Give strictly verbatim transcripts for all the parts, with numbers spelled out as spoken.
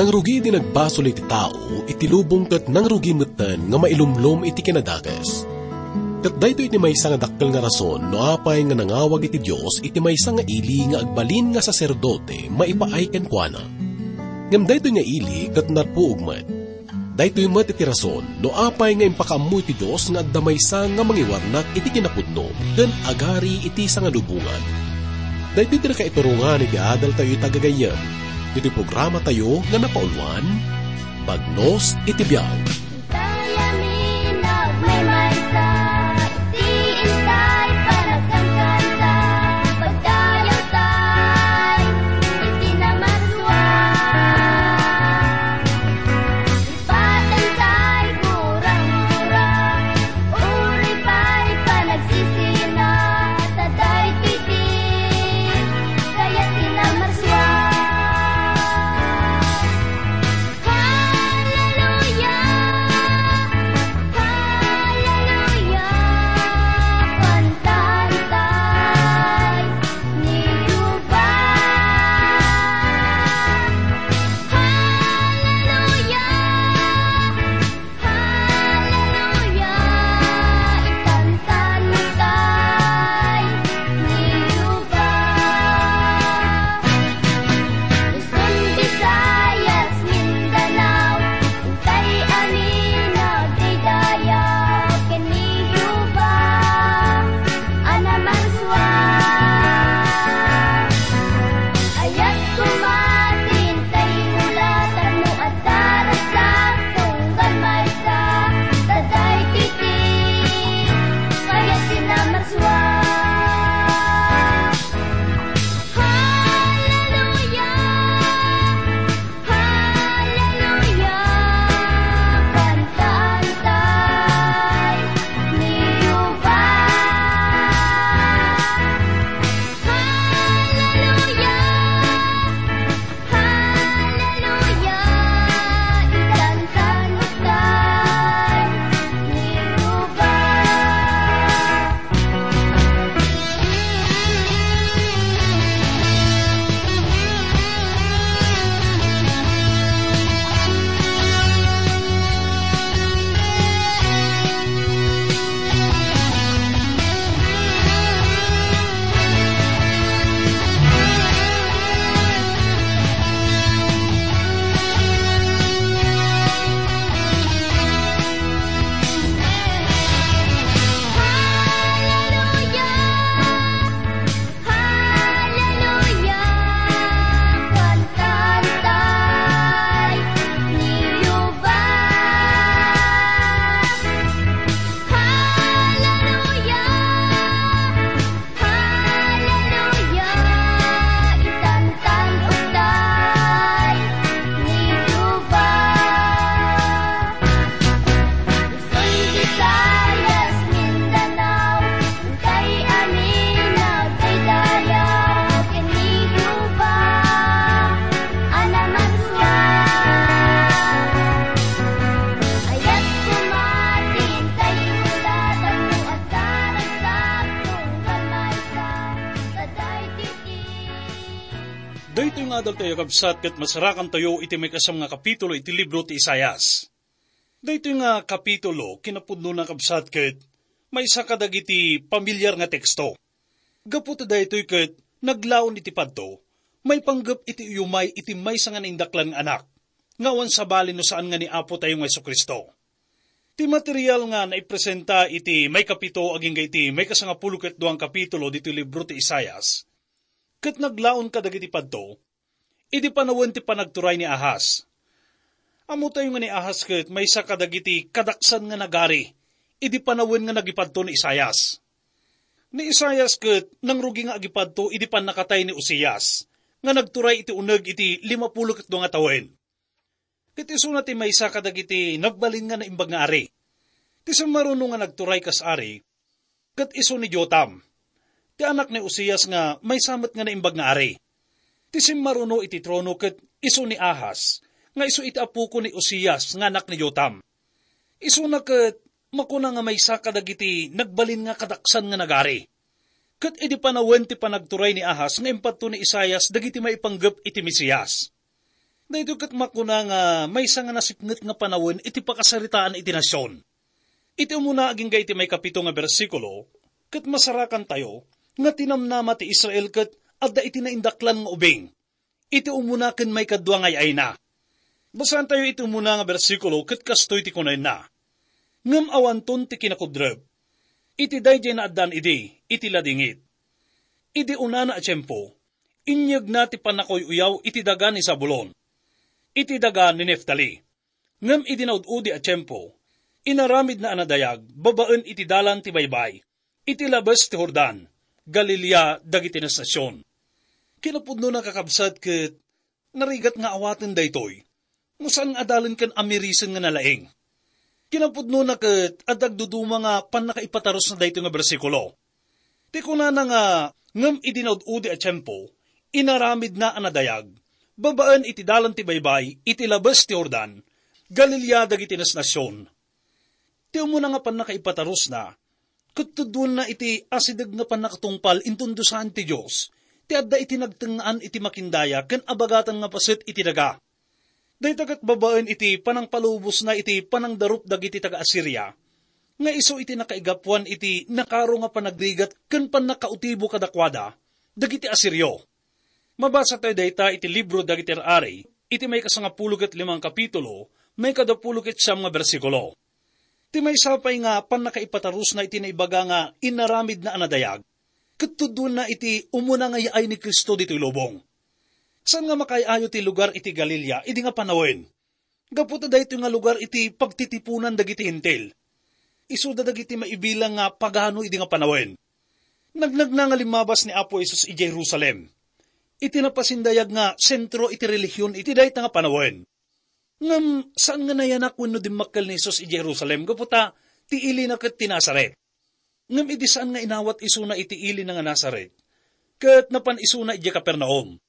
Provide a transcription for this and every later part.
Nangrugi ti nagbasol iti tao iti lubong ket nangrugi metten nga mailumlom iti kinadakes. Ket daytoy iti maysa nga dakkel nga rason no apay nga nangawag iti Dios iti maysa nga ili nga agbalin nga saserdote maipaay kenkuana. Ngem daytoy nga ili ket narpuog met. Daytoy met iti rason no apay nga impakaammo iti Dios nga adda maysa nga mangiwarnak iti kinapudno ken agari iti sangalubongan. Daytoy ti nakaiturongan iti adaltayo ita gagayyem, iti programatayo nga napauluan, Bagnos iti Biag. Intay amin agmaymaysa, iti intay panagkankanta, pagdayawtay, iti namarsua. Patentay gura-gura, uray pay panagsisina, ta daytoy ti kayat ti namarsua. Hallelujah! Hallelujah! Kantantay ni Jehovah. Hallelujah! Hallelujah! Ikantantay ni Jehovah. Luzon, Visayas, Mindanao, intay amin agdaydayaw ken ni Jehovah a namarsua. Ayat koma ti intay hula tapno adda ragsak tunggal maysa, ta daytoy ti kayat ti namarsua. Hallelujah! Hallelujah! Kantantay ni Jehovah. Hallelujah! Hallelujah! Ikantantay ni Jehovah. Hallelujah! Hallelujah! Kantantay ni Jehovah. Hallelujah! Hallelujah! Ikantantay ni Jehovah. Luzon, Visayas, Mindanao, intay amin agdaydayaw ken ni Jehovah a namarsua. Ayat koma ti intay hula tapno agkaragsak tunggal maysa, ta daytoy ti Daytoy nga adaltayo, kabsat, ket masarakantayo iti maikasam nga kapitulo iti libro ti Isaias. Daytoy nga kapitulo, kinapudnona, kabsat, ket maysa kadagiti pamilyar nga teksto. Gapu ta daytoy ket naglaon iti padto, maipanggep iti uyumay iti maysa nga naindaklan nga anak, nga awan sabali no saan nga ni Apo tayo nga Jesu-Cristo. Ti material nga naipresenta iti maikapito agingga iti maikasangapulo ket dua nga kapitulo ditoy libro ti Isaias, ket naglaon kadagiti padto, idi panawen ti panagturay ni Ahaz. Ammotayo nga ni Ahaz ket maysa kadagiti kadaksan nga nagari idi panawen nga nagipadto ni Isaias. Ni Isaias ket nangrugi nga agipadto idi pannakatay ni Uzias, nga nagturay iti uneg iti limapulo ket dua nga tawen. Ket isuna ti maysa kadagiti nagbalin nga naimbag nga ari. Ti simmaruno nga nagturay kas ari, ket isu ni Jotam, ti anak ni Uzias nga maysa met nga naimbag nga ari. Ti simmaruno iti trono ket isu ni Ahaz, nga isu iti apoko ni Uzias nga anak ni Jotam. Isuna ket makuna nga maysa kadagiti nagbalin nga kadaksan nga nagari. Ket idi panawen ti panagturay ni Ahaz nga impadto ni Isaias dagiti maipanggep iti Mesias. Daytoy ket makuna nga maysa nga nasipnget nga panawen iti pakasaritaan iti nasion. Iti umuna agingga iti maikapito nga bersikulo, ket masarakantayo nga tinamnama ti Israel ket adda iti naindaklan nga ubing iti umuna ken maikadua nga ay-ayna. Basaentayo iti umuna nga bersikulo ket kastoy ti kunana, "Ngem awanton ti kinakudrep iti daydiay naaddaan idi, iti ladingit. Idi unana a tiempo, inyegna ti pannakuy-uyaw iti daga ni Zabulon, iti daga ni Neftali. Ngem idi naud-udi a tiempo, inaramidna a nadayag babaen iti dalan ti baybay, iti labes ti Jordan, Galilea dagiti nasion." Kinapudnona, kakabsat, ket narigat nga awaten daytoy no saan nga adalen ken amirisen nga nalaing. Kinapudnona ket adda agduduma nga pannakaipatarusna daytoy nga bersikulo. Ti kunana nga, "Ngem idi naud-udi a tiempo, inaramidna a nadayag babaen iti dalan ti baybay, iti labes ti Jordan, Galilea dagiti nasion." Ti umuna nga pannakaipatarusna, ket tuddoenna iti asideg nga pannakatungpal inton dusaen ti Dios ti adda iti nagtengngaan iti makindaya ken abagatan nga paset iti daga. Dayta ket babaen iti panangpalubosna iti panangdarup dagiti taga-Asiria, nga isu iti nakaigapuan iti nakaro nga panagrigat ken pannakautibo kadakuada dagiti Asirio. Mabasa tayo dayta iti libro dagiti Rarari, iti maikasangapulo ket limang kapitulo, maikadapulo ket siam nga bersikulo. Ti maysa pay nga pannakaipatarusna iti naibaga nga inaramidna a nadayag, ket tuddoenna iti umuna nga yaay ni Cristo ditoy lubong. Saan nga makaay-ayo ti lugar iti Galilea idi nga panawen? Gapu ta daytoy nga lugar iti pagtitiponan dagiti Hentil. Isuda dagiti maibilang nga pagano idi nga panawen. Nagnagna nga limmabas ni Apo Jesus idiay Jerusalem, iti napasindayag nga sentro iti relihion iti dayta nga panawen. Ngem saan nga nayanak wenno dimmakkel ni Jesus idiay Jerusalem gapu ta ti ilina ket ti Nazaret. Ngem idi saan nga inawat isuna iti ilina nga Nazaret, ket napan isuna idiay Capernaum.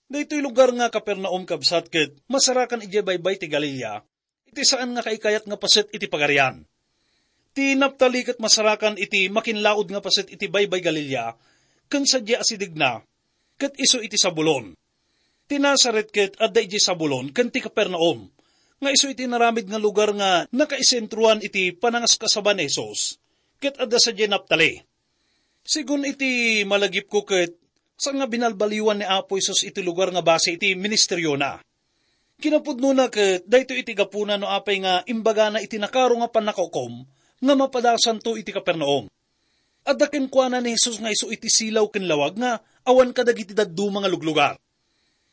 Daytoy lugar nga Capernaum, kabsat, ket masarakan idiay baybay ti Galilea, iti saan nga kaikayat nga paset iti Pagarian. Ti Naftali ket masarakan iti makinlaod nga paset iti baybay Galilea, ken sadiay asidegna, ket isu iti Zabulon. Ti Nazaret ket adda idiay Zabulon ken ti Capernaum, nga isu iti naramid nga lugar nga nakaisentroan iti panangaskasaba ni Jesus, ket adda sadiay Naftali. Segun iti malagipko ket saan nga binalbaliwan ni Apo Jesus iti lugar nga base iti ministeriona. Kinapudnona ket daytoy iti gapuna no apay nga imbagana iti nakaro nga pannakaukom nga mapadasanto iti Capernaum. Adda kenkuana ni Jesus nga isu iti silaw ken lawag nga awan kadagiti dadduma nga luglugar.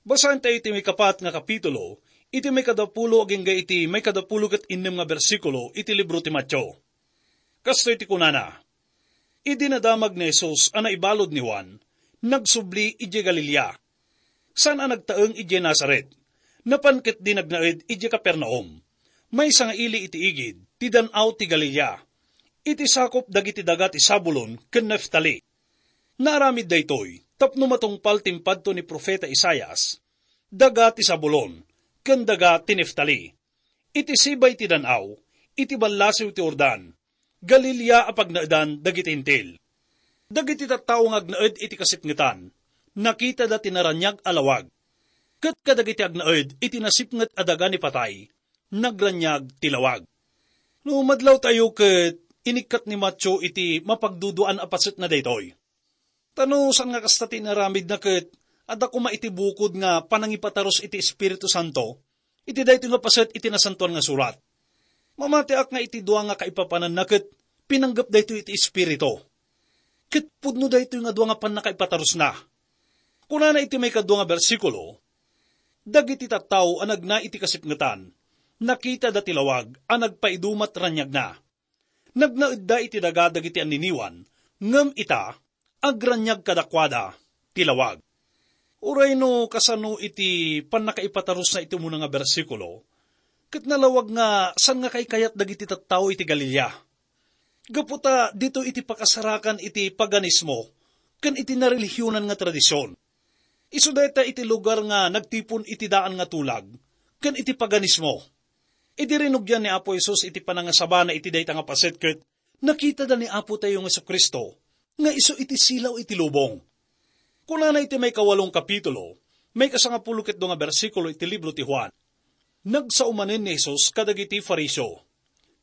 Basaentayo iti maikapat nga kapitulo, iti maikadapulo agingga iti maikadapulo ket innem nga bersikulo iti libro ti Mateo. Kastoy ti kunana, "Idi nadamag ni Jesus a naibalud ni Juan, nagsubli idiay Galilea. Saan a nagtaeng idiay Nazaret. Napan ketdi nagnaed idiay Capernaum, maysa nga ili iti igid ti dan-aw ti Galilea, iti sakup dagiti daga ti Zabulon ken Naftali. Naaramid daytoy tapno matungpal ti impadto ni profeta Isaias, daga ti Zabulon ken daga ti Naftali, iti sibay ti dan-aw, iti ballasiw ti Jordan, Galilea a pagnaedan dagiti Hentil. Dagiti tattao nga agnaed iti kasipngetan, nakitada ti naraniag a lawag. Ket kadagiti agnaed iti nasipnget a daga ni patay, nagraniag ti lawag." No madlawtayo ket inikkat ni Mateo iti mapagduduaan a paset na daytoy. Ta no saan nga kasta ti inaramidna ket adda koma iti bukod nga panangipatarus iti Espiritu Santo iti daytoy nga paset iti Nasantoan nga Surat. Mamatiak nga iti dua nga kaipapananna ket pinanggep daytoy iti Espiritu. Ket pudno daytoy nga dua nga pannakaipatarusna. Kunana iti maikadua nga bersikulo, "Dagiti tattao a nagna iti kasipngetan, nakitada ti lawag a nagpaidumat raniagna. Nagnaedda iti daga dagiti anniniwan, ngem ita, agraniag kadakuada ti lawag." Uray no kasano iti pannakaipatarusna iti umuna nga bersikulo, ket nalawag nga saan nga kaikayat dagiti tattao iti Galilea. Gapu ta ditoy iti pakasarakan iti paganismo ken iti narelihionan nga tradision. Isu dayta iti lugar nga nagtipon iti daan nga tulag ken iti paganismo. Idi rinugian ni Apo Jesus iti panangasabana iti dayta nga paset ket nakitada ni Apo tayo nga Jesu-Cristo nga isu iti silaw iti lubong. Kunana iti maikawalong kapitulo, maikasangapulo ket dua nga bersikulo iti libro ti Juan. Nagsao manen ni Jesus kadagiti Fariseo.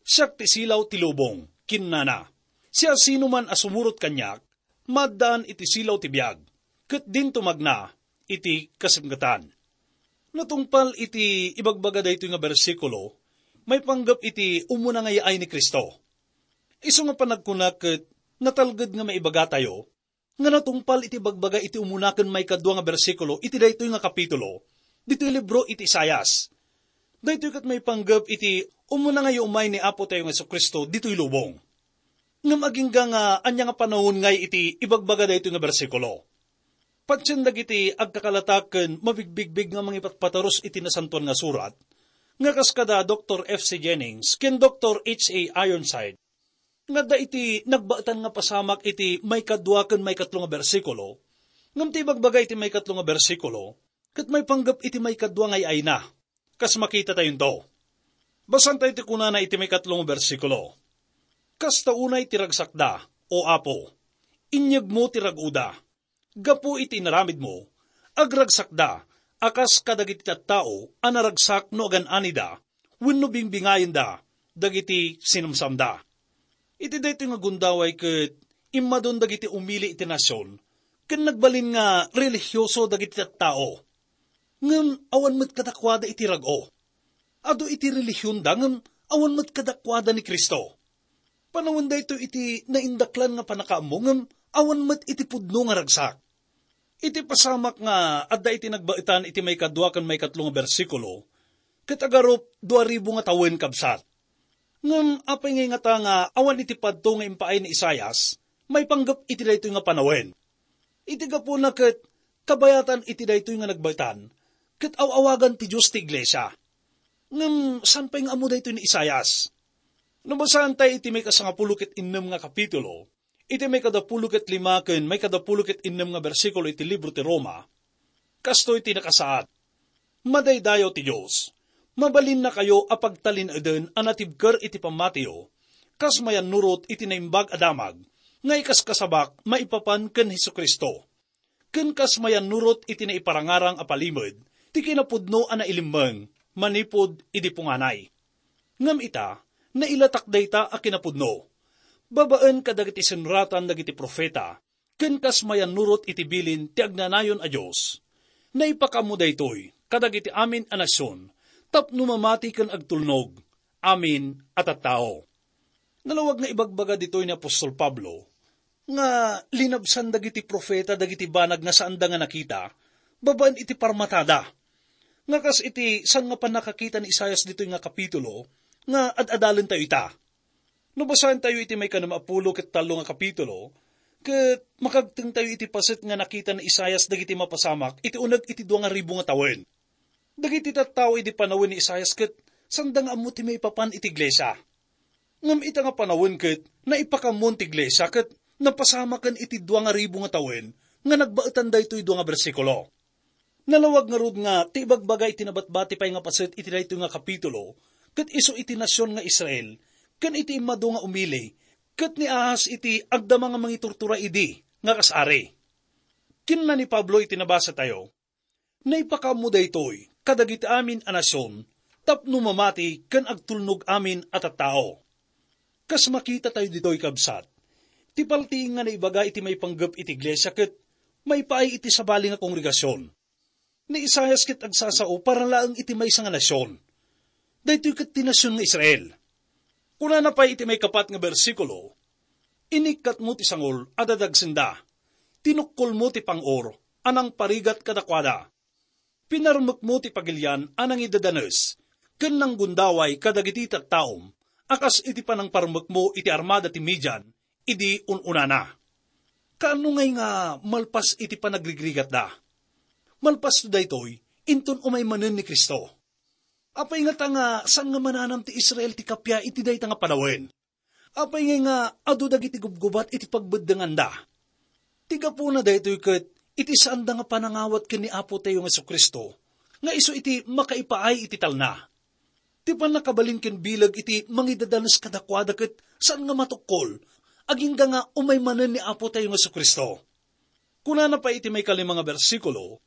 "Siak ti silaw ti lubong," kinnana. "Siasinoman a sumurot kaniak, maaddaan iti silaw ti biag, ket dinto magna iti kasipngetan." Natungpal iti ibagbaga daytoy nga bersikulo, maipanggep iti umuna nga yaay ni Cristo. Isu nga panagkuna ket natalged nga maibagatayo nga natungpal iti ibagbaga iti umuna ken maikadua nga bersikulo iti daytoy nga kapitulo ditoy libro iti Isaias. Daytoy ket maipanggep iti umuna nga yaumay ni Apo tayo nga Jesu-Cristo ditoy lubong. Ngem agingga nga ania nga panawen ngay iti ibagbaga daytoy nga bersikulo? Patien dagiti agkakalata ken mabigbigbig nga mangipatpatarus iti Nasantoan nga Surat, nga kas kada Doktor F C Jennings ken Doktor H A Ironside, nga adda iti nagbaetan nga pasamak iti maikadua ken maikatlo nga bersikulo, ngem ti ibagbaga iti maikatlo nga bersikulo ket maipanggep iti maikadua nga ay-ayna. Kas makitatayo into. Basaentayo ti kunana iti maikatlo nga bersikulo, "Kasta unay ti ragsakda, O Apo, inyegmo ti rag-oda. Gapu iti inaramidmo, agragsakda a kas kadagiti tattao a naragsak no agan-anida wenno bingbingayenda dagiti sinamsamda." Iti daytoy nga gundaway ket immadon dagiti umili iti nasion ken nagbalin nga relihioso dagiti tattao. Ngem awan met kadakuada iti rag-o. Adu iti relihionda ngem awan met kadakuada ni Cristo. Panawen daytoy iti naindaklan nga pannakaammo ngem awan met iti pudno nga ragsak. Iti pasamak nga adda iti nagbaetan iti maikadua ken maikatlo nga bersikulo, ket agarup dua ribu nga tawen, kabsat. Ngem apay ngay ngata nga awan iti padto nga impaay ni Isaias maipanggep iti daytoy nga panawen? Iti gapuna ket kabayatan iti daytoy nga nagbaetan, ket aw-awagan ti Dios ti iglesia. Ngem saan pay nga ammo daytoy ni Isaias? No basaentayo iti maikasangapulo ket innem nga kapitulo, iti maikadapulo ket lima ken maikadapulo ket innem nga bersikulo iti libro ti Roma, kastoy ti nakasaad, "Madaydayaw ti Dios. Mabalinnakayo a pagtalinaeden a natibker iti pammatiyo, kas mayannurot iti naimbag a damag, nga ikaskasabak maipapan ken Jesu-Cristo, ken kas mayannurot iti naiparangarang a palimed ti kinapudno a nailimmeng manipud idi punganay. Ngem ita, nailatak dayta a kinapudno babaen kadagiti sinratan dagiti profeta, ken kas mayannurot iti bilin ti agnanayon a Dios. Naipakaammo daytoy kadagiti amin a nasion tapno mamati ken agtulnog amin a tattao." Nalawag nga ibagbaga ditoy ni apostol Pablo nga linabsan dagiti profeta dagiti banag nga saanda nga nakita babaen iti parmatada. Nga kas iti saan nga pannakakita ni Isaias ditoy nga kapitulo nga ad-adalentayo ita. No basaentayo iti maikanapulo ket tallo nga kapitulo, ket makagtengtayo iti paset nga nakita ni Isaias dagiti mapasamak iti uneg iti dua nga ribu nga tawen. Dagiti tattao idi panawen ni Isaias ket saanda nga ammo ti maipapan iti iglesia. Ngem ita nga panawen ket naipakaammoen ti iglesia ket napasamaken iti dua nga ribu nga tawen nga nagbaetan daytoy dua nga bersikulo. Nalawag ngarud nga ti ibagbaga iti nabatbati pay nga paset iti daytoy nga kapitulo ket isu iti nasion nga Israel ken iti immadu nga umili ket ni Ahaz iti agdama nga mangiturtura idi nga kas ari. Kinuna ni Pablo iti nabasatayo, "Naipakaammo daytoy kadagiti amin a nasion tapno mamati ken agtulnog amin a tattao." Kas makitatayo ditoy, kabsat, ti paltiing nga naibaga iti maipanggep iti iglesia ket maipaay iti sabali nga kongregasion. Ni Isaias ket agsasao para laeng iti maysa nga nasion. Daytoy ket ti nasion nga Israel. Kunana pay iti maikapat nga bersikulo, "Inikkatmo ti sangol a dadagsenda, tinukkolmo ti pang-or a nangparigat kadakuada. Pinarmekmo ti pagilian a nangidadanes ken nanggundaway kadagiti tattaom a kas iti panangparmekmo iti armada ti Midian idi un-unana." Kaano ngay nga malpas iti panagrigrigatda? Malpasto daytoy inton umay manen ni Cristo. Apay ngata nga saan nga mananam ti Israel ti kappia iti dayta nga panawen? Apay ngay nga adu dagiti gubgubat iti pagbeddenganda? Ti gapuna daytoy ket iti saanda nga panangawat ken ni Apotayo nga Jesu-Cristo, nga isu iti makaipaay iti talna. Ti pannakabalin ken bileg iti mangidadanes kadakuada ket saan nga matukkol, agingga nga umay manen ni Apotayo nga Jesu-Cristo. Kunana pay iti maikalima nga bersikulo,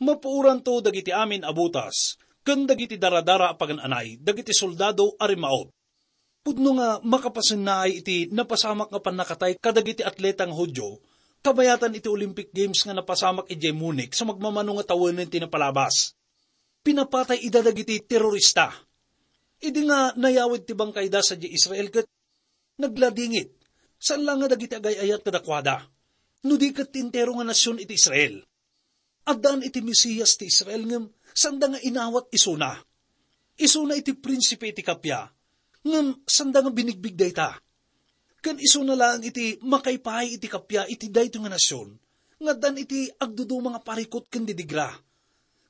Mapuoranto dagiti amin a butas ken dagiti daradara a pagan-anay dagiti soldado a rimmaut. Pudno nga makapasennaay iti napasamak nga pannakatay kadagiti atleta nga Judio, kabayatan iti Olympic Games nga napasamak idiay Munich sa magmamano nga tawenen ti napalabas. Pinapatay ida dagiti terorista. Idi nga nayawid ti bangkayda sadiay Israel ket nagladingit, saan la nga dagiti agay-ayat kadakuada, no di ket ti entero nga nasion iti Israel. Addaan iti Mesias ti Israel ngem sanda nga inawat isuna. Isuna iti prinsipe iti kappia, ngem sanda nga binigbig dayta. Ken isuna laeng iti makaipaay iti kappia iti daytoy nga nasion, nga addaan iti agduduma nga parikut ken didigra.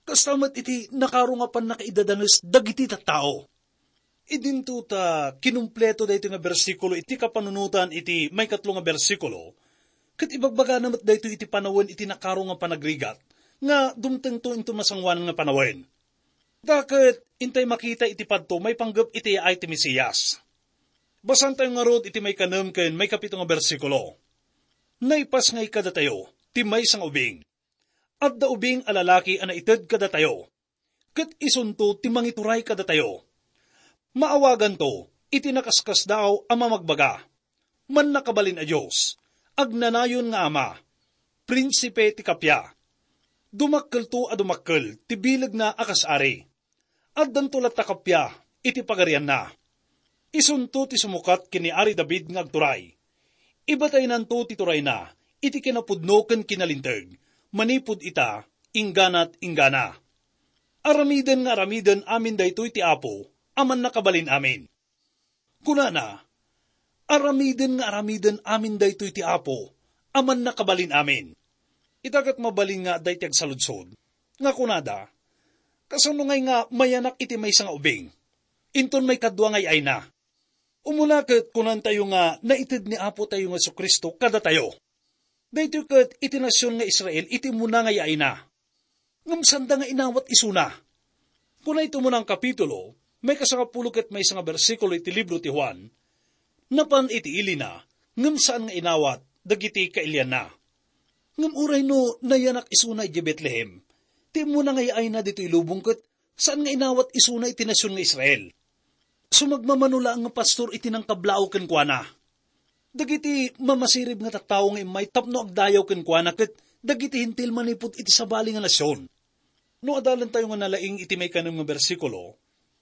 Kasta met iti nakaro nga pannakaidadanges dagiti tattao. Idinto ta kinumpleto daytoy nga bersikulo iti kapanunotan iti maikatlo nga bersikulo, ket ibagbagana met daytoy iti panawen iti nakaro nga panagrigat nga dumtengto inton masangoanan nga panawen. Daket intay makita iti padto maipanggep iti yaay ti Mesias. Basantayo ngarud iti maikanem ken maikapito nga bersikulo. Naipasngay kadatayo ti maysa nga ubing. Adda ubing a lalaki a naited kadatayo, ket isunto ti mangituray kadatayo. Maawaganto iti nakaskasdaaw a mamagbaga, Mannakabalin a Dios, Agnanayon nga Ama, Prinsipe ti Kappia. Dumakkelto a dumakkel ti bilegna a kas ari. Addanto latta kappia iti pagarianna. Isunto ti sumukat ken ni Ari David nga agturay. Ibataynanto ti turayna iti kinapudno ken kinalinteg, manipud ita, ingganat inggana. Aramiden nga aramiden amin daytoy ti Apo a Mannakabalin-amin. Kunana, aramiden nga aramiden amin daytoy ti Apo a Mannakabalin-amin. Ita ket mabalin nga adda iti agsaludsod nga kunada, "Kasano ngay nga mayanak iti maysa nga ubing? Inton maikadua nga ay-ayna." Umuna ket kunantayo nga naited ni Apo tayo nga Jesu-Cristo kadatayo. Daytoy ket iti nasion nga Israel iti umuna nga yaayna. Ngem sanda nga inawat isuna. Kuna iti umuna nga kapitulo, maikasangapulo ket maysa nga bersikulo iti libro ti Juan, napan iti ilina, ngem saan nga inawat dagiti kailianna. Ngem uray no nayanak isuna idiay Betlehem, ti umuna nga yaayna ditoy lubong ket saan nga inawat isuna iti nasion nga Israel. Sumagmamano laeng nga pastor iti nangkablaaw kenkuana. Dagiti mamasirib nga tattao nga immay tapno agdayaw kenkuana ket dagiti Hentil manipud iti sabali nga nasion. No adalentayo nga nalaing iti maikanem nga bersikulo,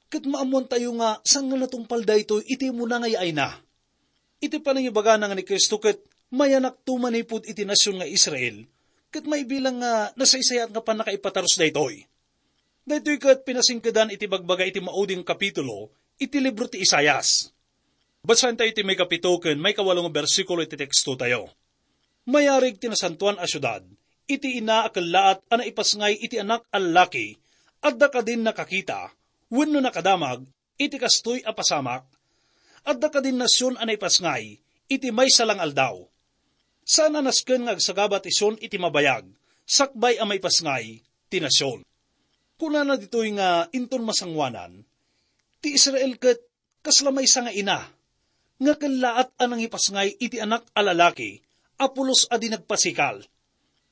ket maammoantayo nga saan nga natungpal daytoy iti umuna nga yaayna. Iti panangibagana nga ni Cristo ket mayanakto manipud iti nasion nga Israel, ket maibilang nga nasaysayaat nga pannakaipatarus daytoy. Daytoy ket pinasingkedan iti bagbaga iti maudi nga kapitulo iti libro ti Isaias. Basaentayo iti maikapito ken maikawalo nga bersikulo iti tekstotayo. Mayarig ti nasantoan a siudad iti ina a kellaat a naipasngay iti anak a lallaki. Adda kadin nakakita wenno nakadamag iti kastoy a pasamak? Adda kadin nasion a naipasngay iti maysa la nga aldaw? Saan a nasken nga agsagaba ti Sion iti mabayag, sakbay a maipasngay ti nasion. Kunana ditoy nga inton masangoanan, ti Israel ket kasla maysa nga ina nga kellaat a nangipasngay iti anak a lalaki a pulos a di nagpasikal.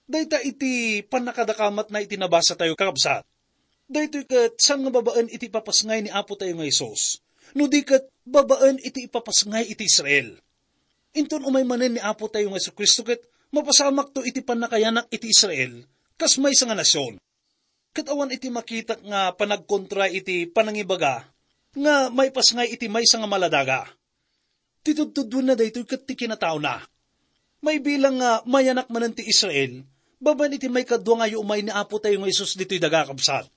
Dayta iti pannakadakamatna iti nabasatayo, kakabsat. Daytoy ket saan nga babaen iti ipapasngay ni Apo tayo nga Jesus, no di ket babaen iti ipapasngay iti Israel. Inton umay manen ni Apo tayo nga Jesu-Cristo ket mapasamakto iti pannakayanak iti Israel kas maysa nga nasion. Ket awan iti makitak nga panagkontra iti panangibaga nga maipasngay iti maysa nga maladaga. Ti tudtuduenna daytoy ket ti kinataona. Maibilang nga mayanak manen ti Israel, babaen iti maikadua nga yaumay ni Apo tayo nga Jesus ditoy daga, kabsat.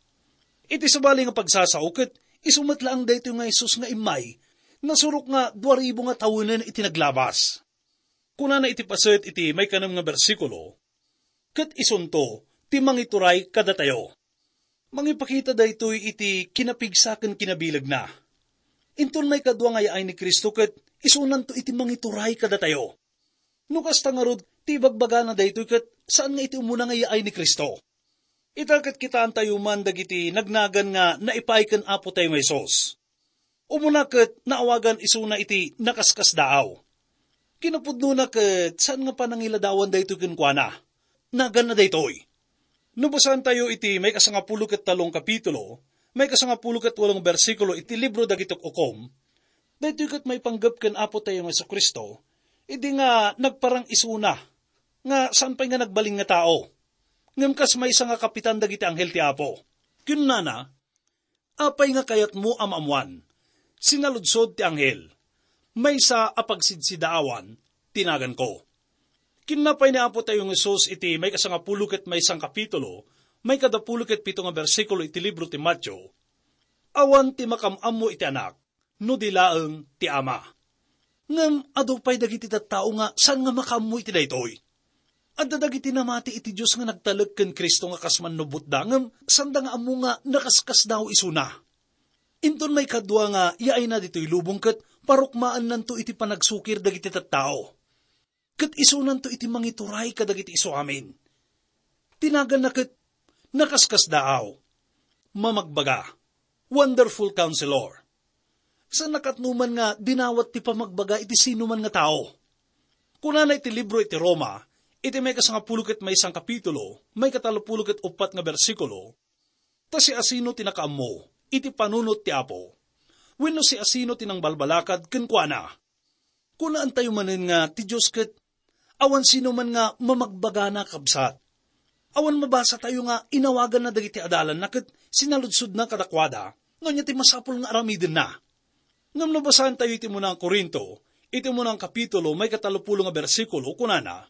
Iti sabali nga pagsasao ket isu met laeng daytoy nga Jesus nga immay, nasurok nga dua ribu nga tawenen iti naglabas. Kunana iti paset iti maikanem nga bersikulo, "Ket isunto ti mangituray kadatayo." Mangipakita daytoy iti kinapigsa ken kinabilegna. Inton maikadua nga yaay ni Cristo ket isunanto iti mangituray kadatayo. No kasta ngarud ti ibagbagana daytoy ket saan nga iti umuna nga yaay ni Cristo. Ita ket kitaantayo man dagiti nagnagan nga naipaay ken Apo tayo nga Jesus. Umuna ket naawagan isuna iti nakaskasdaaw. Kinapudnona ket saan nga panangiladawan daytoy kenkuana. Naganna daytoy. No basaentayo iti maikasangapulo ket tallong kapitulo, maikasangapulo ket walong bersikulo iti libro dagiti Ukom, daytoy ket maipanggep ken Apotayo nga Jesu-Cristo, idi nga nagparang isuna, nga saan pay nga nagbalin nga tao, ngem kas maysa nga kapitan dagiti anghel ti Apo. Kinnana, "Apay nga kayatmo a maammoan?" Sinaludsod ti anghel, "Maysa a pagsidsidaawan ti naganko." Kinnapay ni Apotayo nga Jesus iti maikasangapulo ket maysa nga kapitulo, maikadapulo ket pito nga bersikulo iti libro ti Mateo, "Awan ti makam-ammo iti Anak, no di laeng ti Ama." Ngem adu pay dagiti tattao nga saan nga makaammo iti daytoy. Adda dagiti namati iti Dios nga nagtalek ken Cristo nga kas mannubotda, ngem saanda nga ammo nga nakaskasdaaw isuna. Inton maikadua nga yaayna ditoy lubong ket parukmaennanto iti panagsukir dagiti tattao. Ket isunanto iti mangituray kadagiti isuamin. Ti naganna ket nakaskasdaaw, mamagbaga, Wonderful Counselor. Saan a katnoman nga dinawat ti pamagbaga iti sinuman nga tao. Kunana iti libro iti Roma, iti maikasangapulo ket maysa nga kapitulo, maikatallopulo ket uppat nga bersikulo, "Ta siasino ti nakaammo iti panunot ti Apo? Wenno siasino ti nangbalbalakad kenkuana?" Kunaentayo manen nga ti Dios ket awan sino man nga mamagbagana, kabsat. Awan mabasatayo nga inawaganna dagiti adalanna ket sinaludsodna kadakuada no ania ti masapul nga aramidenna. Ngem no basaentayo iti muna nga Corinto, iti muna nga kapitulo, maikatallopulo nga bersikulo, kunana,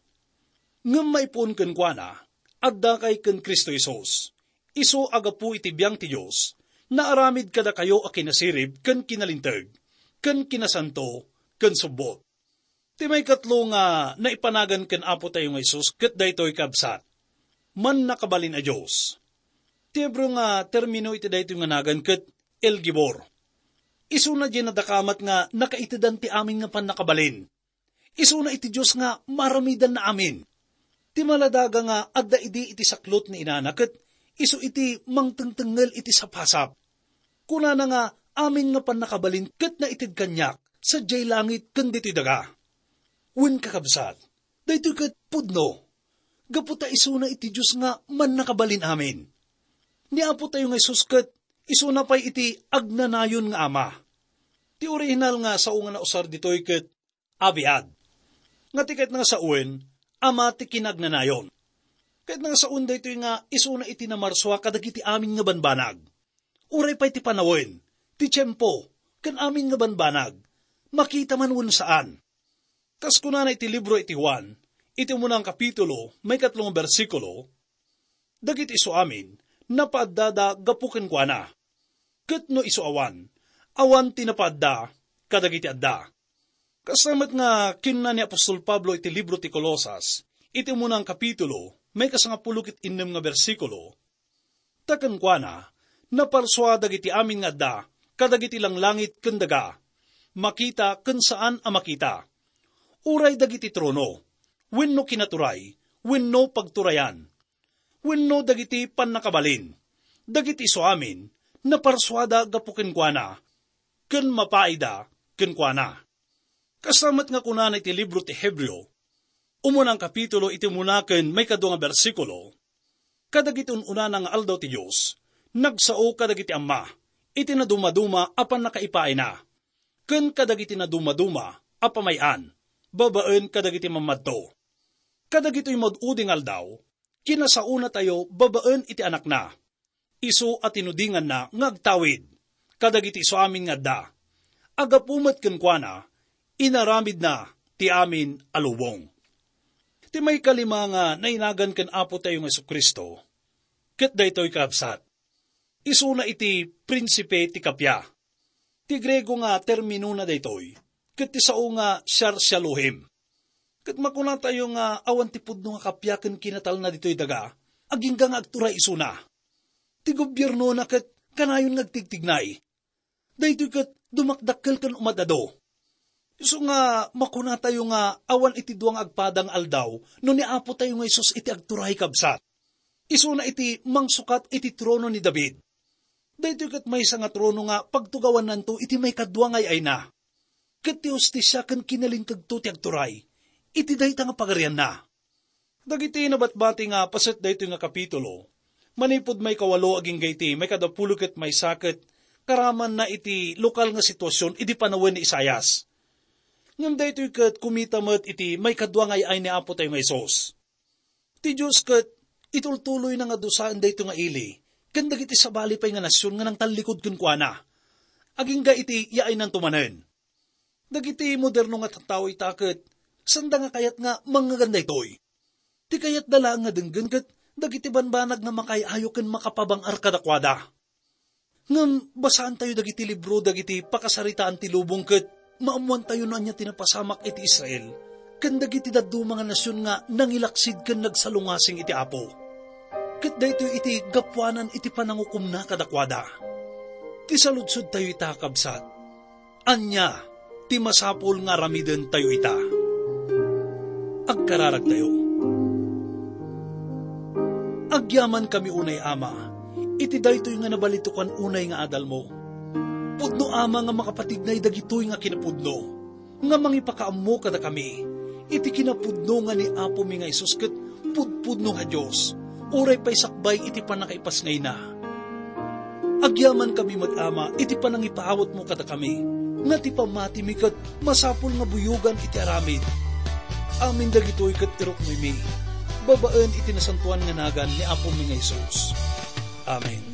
"Ngem maipuon kenkuana, addakay ken Cristo Jesus. Isu a gapu iti biang ti Dios, naaramid kadakayo a kinasirib ken kinalinteg, ken kinasanto, ken subbot." Ti maikatlo nga naipanagan ken Apotayo nga Jesus ket daytoy, kabsat, mannakabalin a Dios. Ti Hebreo nga termino iti daytoy nga nagan ket El Gibor. Isuna diay nadakamat nga nakaitedan ti amin nga pannakabalin. Isuna iti Dios nga maaramidanna amin. Ti maladaga nga adda idi iti saklot ni inana ket isu iti mangtengtengngel iti sapasap. Kunana nga amin nga pannakabalin ket naited kaniak sadiay langit ken ditoy daga. Wen, kakabsat, daytoy ket pudno. Gapu ta isuna iti Dios nga mannakabalin amin. Ni Apotayo nga Jesus ket isuna pay iti agnanayon nga Ama. Ti orihinal nga sao nga nausar ditoy ket abiad. Nga ti kayatna nga sawen, Ama ti kinagnanayon. Kayatna nga sawen daytoy nga isuna iti namarsua kadagiti amin nga banbanag. Uray pay ti panawen, ti tiempo, ken amin nga banbanag, makita man wen saan. Kas kunana iti libro iti Juan, iti umuna nga kapitulo, maikatlo nga bersikulo, dagiti isu amin, napaaddada gapu kenkuana. Ket no isu awan, awan ti napaadda kadagiti adda. Kasta met nga kinuna ni apostol Pablo iti libro ti Colosas, iti umuna nga kapitulo, maikasangapulo ket innem nga bersikulo, ta kenkuana, naparsua dagiti amin nga adda kadagiti langlangit ken daga, makita ken saan a makita. Uray dagiti trono, wenno kinaturay, wenno pagturayan, wenno dagiti pannakabalin, dagiti isu amin, naparsuada gapu kenkuana, ken mapaida kenkuana. Kasta met nga kunana iti libro ti Hebreo, umuna nga kapitulo iti umuna ken maikadua nga bersikulo, kadagiti un-unana nga aldaw ti Dios, nagsao kadagiti Ama iti nadumaduma a pannakaipaayna, ken kadagiti nadumaduma a pamay-an babaen kadagiti mammadto. Kadagitoy maud-udi nga aldaw, kinasaonatayo babaen iti Anakna, isu a tinudinganna nga agtawid kadagiti isu amin nga adda. Aggapu met kenkuana, inaramidna ti amin a lubong. Ti maikalima nga nainagan ken Apotayo nga Jesu-Cristo, ket daytoy, kakabsat, isuna iti prinsipe ti kappia. Ti Griego nga terminona daytoy, ket ti sao nga Siar Sialohim. Ket makunatayo nga awan ti pudno nga kappia ken kinatalna ditoy daga, agingga nga agturay isuna. Ti gobiernona ket kanayon nga agtigtignay. Daytoy ket dumakdakkel ken umad-adu. Isu nga makunatayo nga awan iti dua nga agpada nga aldaw no ni Apotayo nga Jesus iti agturay, kabsat. Isuna iti mangsukat iti trono ni David. Daytoy ket maysa nga trono nga pagtugawannanto iti maikadua nga ay-ayna. Ket ti hustisia ken kinalintegto ti agturay iti dayta nga pagarianna. Dagiti nabatbati nga paset daytoy nga kapitulo, Manipud maikawalo agingga iti maikadapulo ket maysa ket karamanna iti lokal nga situasion idi panawen ni Isaias. Ngem daytoy ket kumita met iti maikadua nga ay-ay ni Apotayo nga Jesus. Ti Dios ket itultuloyna nga dusaen daytoy nga ili ken dagiti sabali pay nga nasion nga nangtallikud kenkuana, agingga iti yaynanto manen. Dagiti moderno nga tattao ita ket sanda nga kayat nga mangngeganda daytoy. Ti kayatda laeng nga denggen ket dagiti banbanag nga makaay-ayo ken makapabang-ar kadakuada. Ngem basaantayo dagiti libro dagiti pakasaritaan ti lubong ket maammoantayo no ania ti napasamak iti Israel ken dagiti dadduma nga nasion nga nangilaksid ken nagsalungasing iti Apo. Ket daytoy iti gapuanan iti panangukomna kadakuada. Ti saludsodtayo ita, kabsat, ania ti masapul nga aramidentayo ita? Agkararagtayo. Agyamankami unay, Ama, iti daytoy nga nabalitokan unay nga adalmo. Pudno, Ama, nga makapatignay dagitoy nga kinapudno, nga mangipakaammo kadakami iti kinapudno nga ni Apomi nga Jesus ket pudpudno nga Dios, uray pay sakbay iti pannakaipasngayna. Agyamankami met, Ama, iti panangipaawatmo kadakami, nga ti pammatimi ket masapul nga buyogan iti aramid. Amin dagitoy ket iruknoymi babaen iti nasantoan nga nagan ni Apomi nga Jesus. Amen.